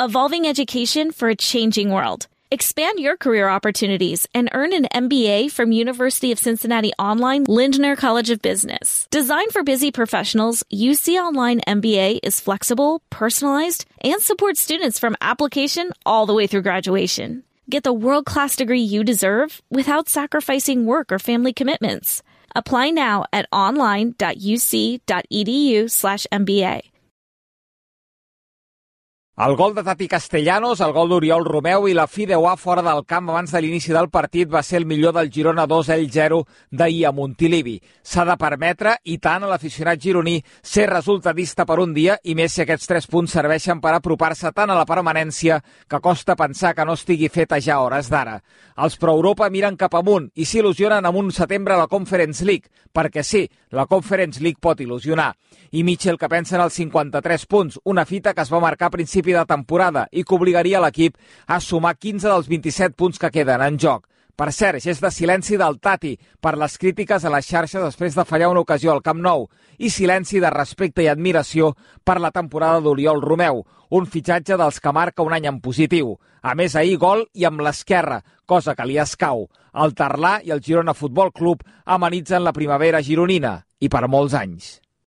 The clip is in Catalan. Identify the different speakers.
Speaker 1: evolving education for a changing world. Expand your career opportunities and earn an MBA from University of Cincinnati Online Lindner College of Business. Designed for busy professionals, UC Online MBA is flexible, personalized, and supports students from application all the way through graduation. Get the world-class degree you deserve without sacrificing work or family commitments. Apply now at online.uc.edu/MBA.
Speaker 2: El gol de Tati Castellanos, el gol d'Oriol Romeu i la fi de UA fora del camp abans de l'inici del partit va ser el millor del Girona 2-0 d'ahir a Montilivi. S'ha de permetre, i tant, a l'aficionat gironí ser resultadista per un dia, i més si aquests 3 punts serveixen per apropar-se tant a la permanència que costa pensar que no estigui feta ja a hores d'ara. Els pro-Europa miren cap amunt i s'il·lusionen amb un setembre a la Conference League, perquè sí, la Conference League pot il·lusionar. I Mitchell, que pensa en els 53 punts, una fita que es va marcar a principi de temporada i que obligaria l'equip a sumar 15 dels 27 punts que queden en joc. Per cert, gest de silenci del Tati per les crítiques a les xarxes després de fallar una ocasió al Camp Nou i silenci de respecte i admiració per la temporada d'Oriol Romeu, un fitxatge dels que marca un any en positiu. A més, ahir gol i amb l'esquerra, cosa que li escau. El Tarlà i el Girona Futbol Club amenitzen la primavera gironina i per molts anys.